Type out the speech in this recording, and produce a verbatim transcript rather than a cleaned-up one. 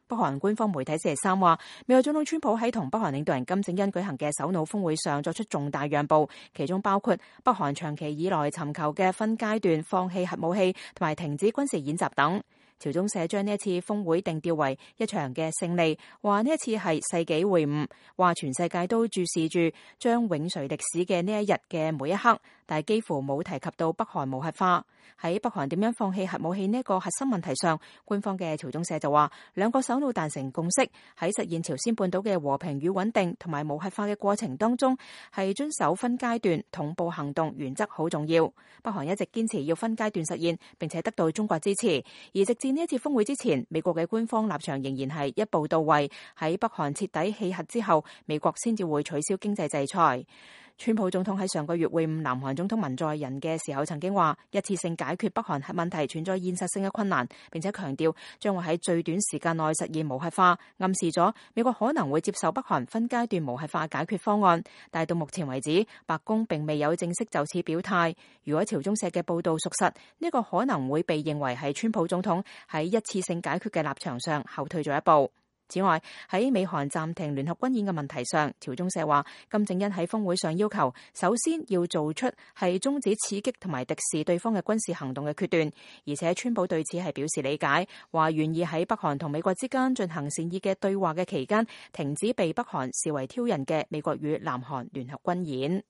北韓官方媒體星期三話，美國總統川普喺同北韓領導人金正恩舉行嘅首腦峰會上作出重大讓步，其中包括北韓長期以來尋求嘅分階段放棄核武器同埋停止軍事演習等。朝中社將呢一次峰會定調為一場嘅勝利，話呢一次係世紀會晤，話全世界都注視住將永垂歷史嘅呢一日嘅每一刻，但係幾乎冇提及到北韓無核化。喺北韓點樣放棄核武器呢個核心問題上，官方嘅朝中社就話，兩個首腦達成共識，喺實現朝鮮半島嘅和平與穩定同埋無核化嘅過程當中，係遵守分階段同步行動原則好重要。北韓一直堅持要分階段實現，並且得到中國支持，而直至呢一次峰會之前，美國嘅官方立場仍然係一步到位，喺北韓徹底棄核之後，美國先至會取消經濟制裁。川普總統喺上個月會晤南韓總統文在寅嘅時候，曾經話一次性解決北韓核問題存在現實性嘅困難，並且強調將會喺最短時間內實現無核化，暗示咗美國可能會接受北韓分階段無核化解決方案。但係到目前為止，白宮並未有正式就此表態。如果朝中社嘅報道屬實，呢個可能會被認為係川普總統喺一次性解決嘅立場上後退咗一步。此外，喺美韓暫停聯合軍演嘅問題上，朝中社話金正恩喺峰會上要求，首先要做出係終止刺激同埋敵視對方嘅軍事行動嘅決斷，而且川普對此係表示理解，話願意喺北韓同美國之間進行善意嘅對話嘅期間，停止被北韓視為挑釁嘅美國與南韓聯合軍演。